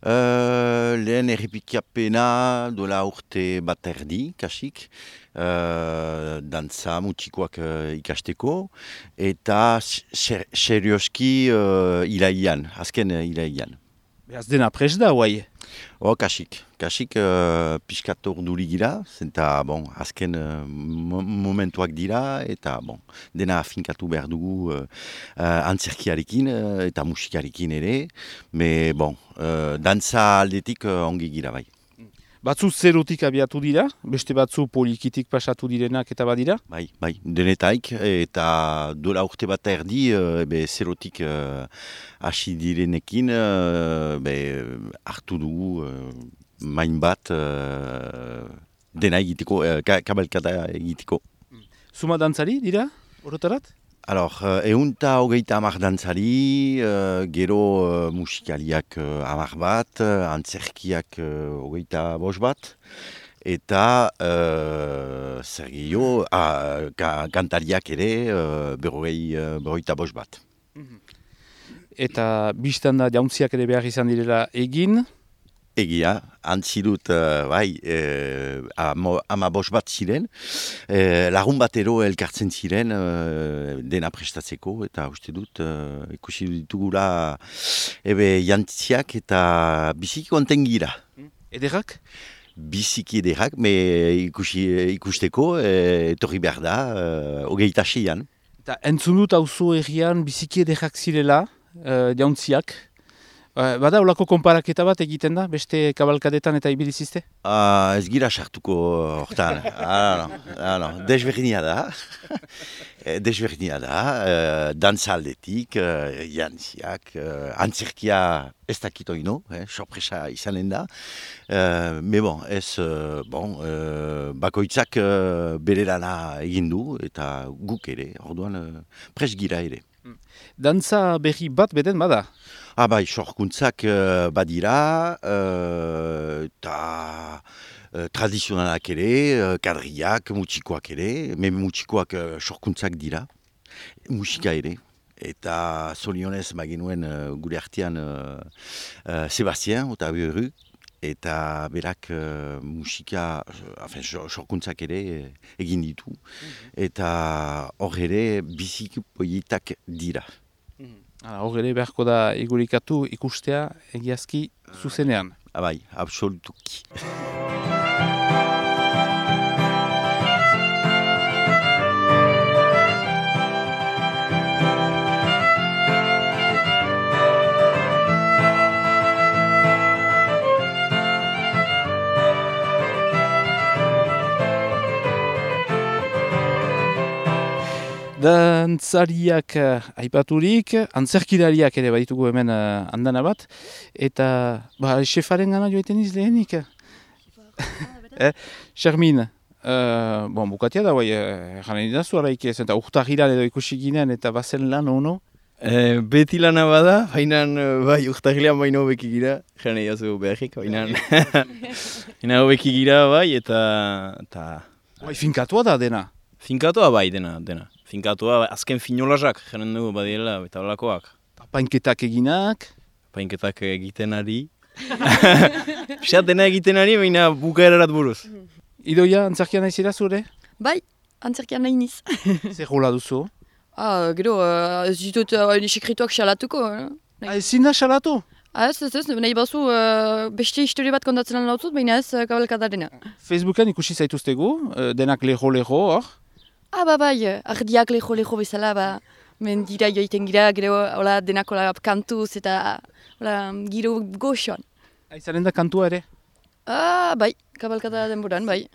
Lehen errepikapena dola urte bat erdi, kasik, dantza mutxikoak ikasteko, eta serioski iraian, azken iraian. Beraz dena prest da, guai. Kasik pixkat orduri gira, zenta azken momentuak dira, eta dena finkatu behar dugu antzerkiarekin eta musikarekin ere, dantza aldetik ongi gira bai. Batzu zerotik abiatu dira, beste batzu polikitik pasatu direnak eta badira? Bai, denetaik, eta dola urte bat erdi, zerotik hasi direnekin, hartu dugu main bat dena egiteko, kabalkada egiteko. Zuma dantzari dira, orotarat? Eunta hogeita hamar dantzari, gero musikaliak 10 bat, antzerkiak 25 bat, eta zer gehiago, kantariak ere 55 bat. Eta biztan da jauntziak ere behar izan direla egin? Egia, antzi dut, 15 bat ziren, lagun batero elkartzen ziren dena prestatzeko, eta uste dut, ikusi ditugula jantziak eta biziki konten gira. Ederrak? Biziki ederrak, ikusteko, etorri behar da, 26an. Eta entzun dut auzo egian biziki ederrak zirela, jauntziak. Bada olako konparaketa bat egiten da, beste kabalkadetan eta ibilizizte? Ez gira sartuko hortan. Desberdina da. Dantza aldetik, jantziak, antzerkia ez dakitoino, sorpresa izanen da. Bakoitzak bere lana egin du, eta guk ere, orduan pres gira ere. Dantza berri bat beden bada? Sorkuntzak badira, eta tradizionalak ere, kadriak, mutxikoak ere, mutxikoak sorkuntzak dira, musika ere. Eta zorionez genuen gure artean Sebastien, eta Beru, eta berak musika, sorkuntzak ere egin ditu, eta hor ere biziki polietak dira. Hor ere beharko da igurikatu ikustea egiazki zuzenean. Absolutuki. Dantzariak aipaturik, antzerkilariak ere baditugu hemen andana bat, eta xefaren gana joaiten lehenik. Xermin, bukatia da, jaren idazu araik ez, eta urtahiran edo ikusi ginen, eta bazen lan ono? Beti lana bada, hainan urtahilean baino hobeki gira, jaren idazu beharrik, hainan hobeki gira, eta... Finkatua da dena? Finkatua dena. Finkatua, azken finolazak, jaren dugu badiela, eta holakoak. Painketak eginak? Painketak egiten ari. Pisat dena egiten ari, baina bukaerarat buruz. Idoia, antzerkian naizira zure? Bai, antzerkian nahi niz. Zer rola duzu? Gero, ez ditut sekrituak xalatuko. Ezin da xalatu? Ez, nahi bazu beste historia bat kontatzen lan lautut, baina ez kabalkadarena. Facebookan ikusi zaituztegu, denak leho, hor? Bai, ardiak leho bezala, mendira joiten gira, gero denako kantuz eta giro goxoan. Izanen da kantua ere? Bai, kabalkada denboran, bai.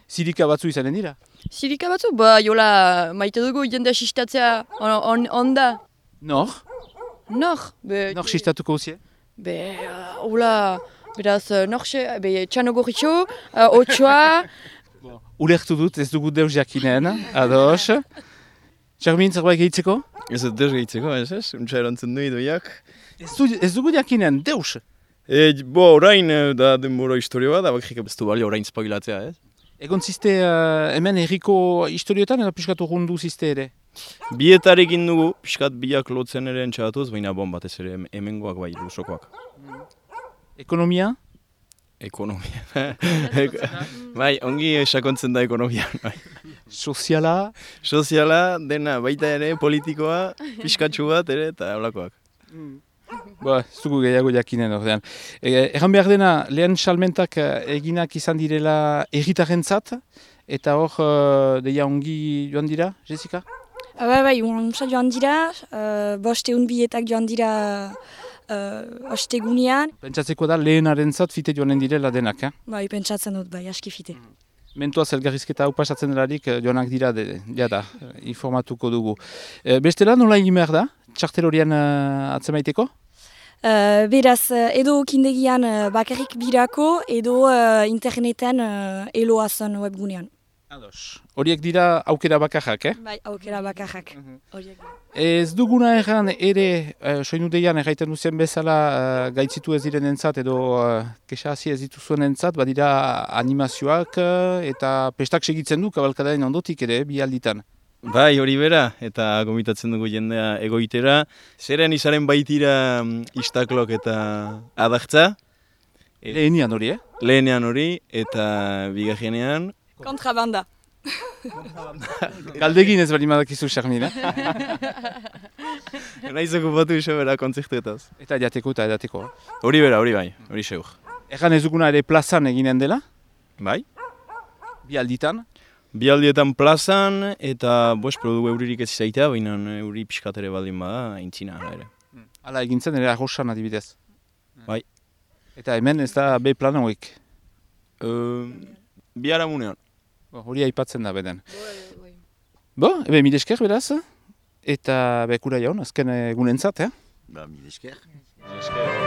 Zirika batzu izanen dira? Zirika batzu, maite dugu jende asistatzea onda. Nor? Nor sistatuko uzie? Beraz, Txano Gorritxo, Otsoa... Ulertu dut, ez dugu deus jakinen, ados. Txermin, zerbait gehitzeko? Ez deus gehitzeko, untsa erantzen du idoiak. Ez dugu jakinen, deus? Orain da denbora historio bat, bakrik ez du bali orain spoilatzea, ez? Egon ziste hemen herriko historiotan, eta piskatu rundu ziste ere? Bietarekin dugu, piskat biak lotzen ere entxagatuz, baina batez ere hemengoak bai, lusokoak. Ekonomia? Ekonomia. Bai, ongi sakontzen da ekonomia. Bai. Soziala? Soziala, dena, baita ere, politikoa, pixkatxu bat ere, eta holakoak. Ba, zugu gehiago jakinen ordean. Egan behar dena, lehen salmentak eginak izan direla erritarrentzat, eta hor, deia ongi joan dira, Jessica? Bai, onsa joan dira, bosteun bietak joan dira ostegunean. Pentsatzeko da lehenarentzat fite joanen direla denak, Bai, pentsatzen dut, bai, aski fite. Mentuaz elgarrizketa hau pasatzen delarik joanak dira, jada, informatuko dugu. Bestela nola egin behar da, txartel horien atzemaiteko? Beraz, edo kindegian bakarrik birako, edo interneten eloazen webgunean. Ados. Horiek dira aukera bakarrak, Bai, aukera bakarrak. Ez duguna erran ere, soinudeian erraiten duzen bezala gaitzitu ez diren entzat edo kexazi ez dituzuen entzat, badira animazioak eta pestak segitzen du kabalkadain ondotik ere, bi alditan. Bai, hori bera, eta gomitatzen dugu jendea egoitera. Zeren izaren baitira istaklok eta adartza. Lehenian hori, Lehenean hori, eta bigarrenean. Kontrabanda. Galdegin ez bali madakizu, Charmin, Naiz okupatu iso bera kontzertuetaz. Eta jateko eta edateko. Hori bera, hori bai, hori seur. Erran ez duguna ere plazan eginen dela, Bai? bi alditan. Bi aldietan plazan, eta produgu euririk ez izaitea, baina euri pixkat ere baldin bada, aintzina ere. Hala egintzen ere arrosan adibidez. Bai. Eta hemen ez da B plan hauek. Bi haramunean. Hori aipatzen da beden. Ebe mil esker beraz, eta bekura jaun, azken egunentzat, Ba, mil esker. Esker.